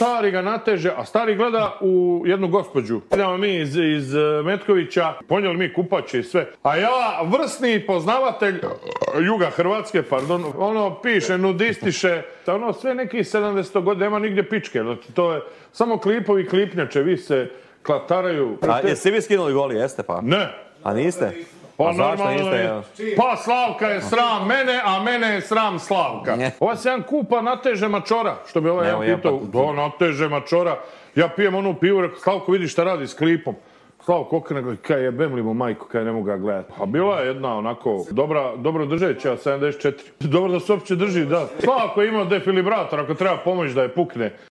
stari ga nateže, a stari gleda u jednu gospođu. Idemo mi iz Metkovića, ponijeli mi kupače i sve. A ja, vrsni poznavatelj juga Hrvatske, pardon, ono piše, nudistiše, ono sve neki 70 godina, nema nigdje pičke. Znači, to je samo klipovi, klipnjače, vi se klataraju. A jeste vi skinuli goli, jeste pa? Ne. A niste? Pa A zašto normalno niste? je. Pa Slavka je sram mene, a mene je sram Slavka. Ovaj se jedan kupa nateže mačora, što bi ovaj jedan pitao. Da, nateže mačora. Ja pijem onu pivu, rekao, Slavko vidi šta radi s klipom. Slavko okrene, kaj jebem li mu majku, kaj ne mogu ga gledati. A bila je jedna onako dobro držeća, 74. Dobro da se uopće drži, da. Slavko je imao defilibrator, ako treba pomoć da je pukne.